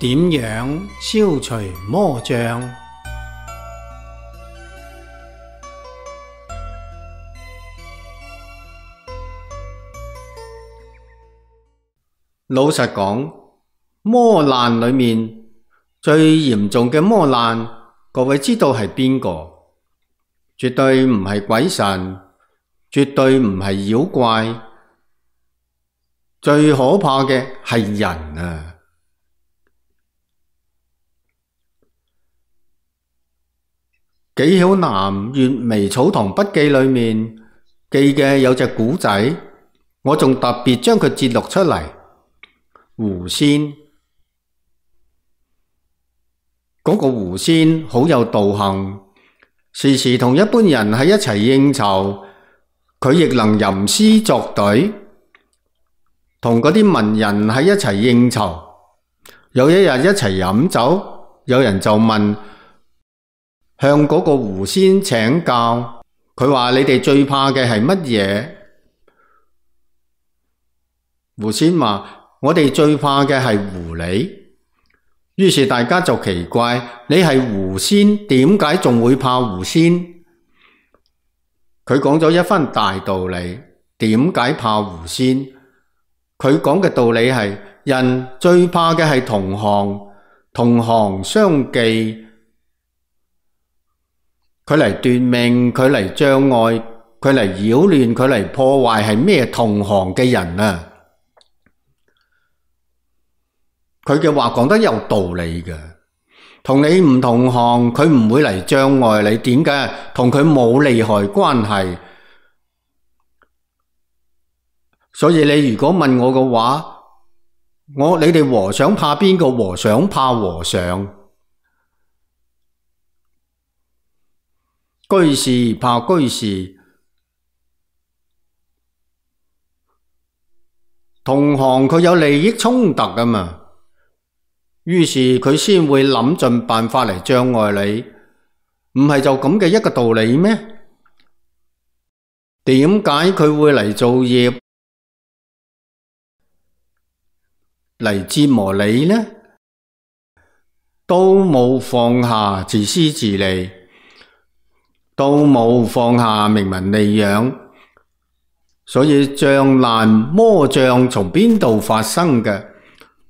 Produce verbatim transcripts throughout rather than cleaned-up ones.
點樣消除魔障？老實講，魔難裏面最嚴重嘅魔難，各位知道係邊個？絕對唔係鬼神，絕對唔係妖怪，最可怕嘅係人啊！紀曉嵐《閱微草堂筆記》裏面記嘅有隻古仔，我仲特別將佢節錄出嚟。狐仙嗰、那個狐仙好有道行，時時同一般人喺一齊應酬，佢亦能吟詩作對，同嗰啲文人喺一齊應酬。有一日一齊飲酒，有人就問向嗰個狐仙請教，佢話：你哋最怕嘅係乜嘢？狐仙話：我哋最怕嘅係狐狸。於是大家就奇怪，你係狐仙，點解仲會怕狐仙？佢講咗一番大道理，點解怕狐仙？佢講嘅道理係，人最怕嘅係同行，同行相忌。佢嚟奪命，佢嚟障礙，佢嚟擾亂，佢嚟破壞，係咩同行嘅人啊？佢嘅話講得有道理嘅，同你唔同行，佢唔會嚟障礙你。點解？同佢冇利害關係。所以你如果問我嘅話，我你哋和尚怕邊個？和尚怕和尚。居士怕居士，同行佢有利益衝突㗎嘛，於是佢先會諗盡辦法嚟障礙你，唔係就咁嘅一個道理咩？點解佢會嚟造業，嚟折磨你呢？都冇放下自私自利，都冇放下名聞利養，所以障難魔障從邊度發生嘅？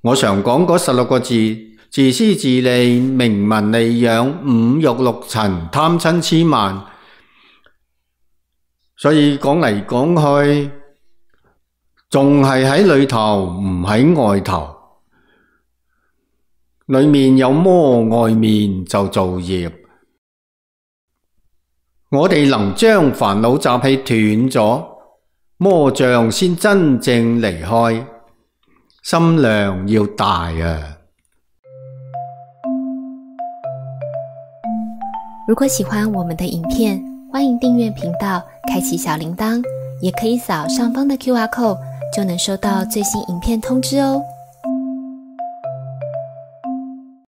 我常講嗰十六個字：自私自利、名聞利養、五欲六塵、貪嗔癡慢。所以講嚟講去，仲係喺裏頭，唔喺外頭。裏面有魔，外面就造業。我哋能將煩惱習氣斷咗，魔障先真正離開。心量要大啊！如果喜歡我們的影片，歡迎訂閱頻道，開啟小鈴鐺，也可以掃上方的 Q R code，就能收到最新影片通知哦。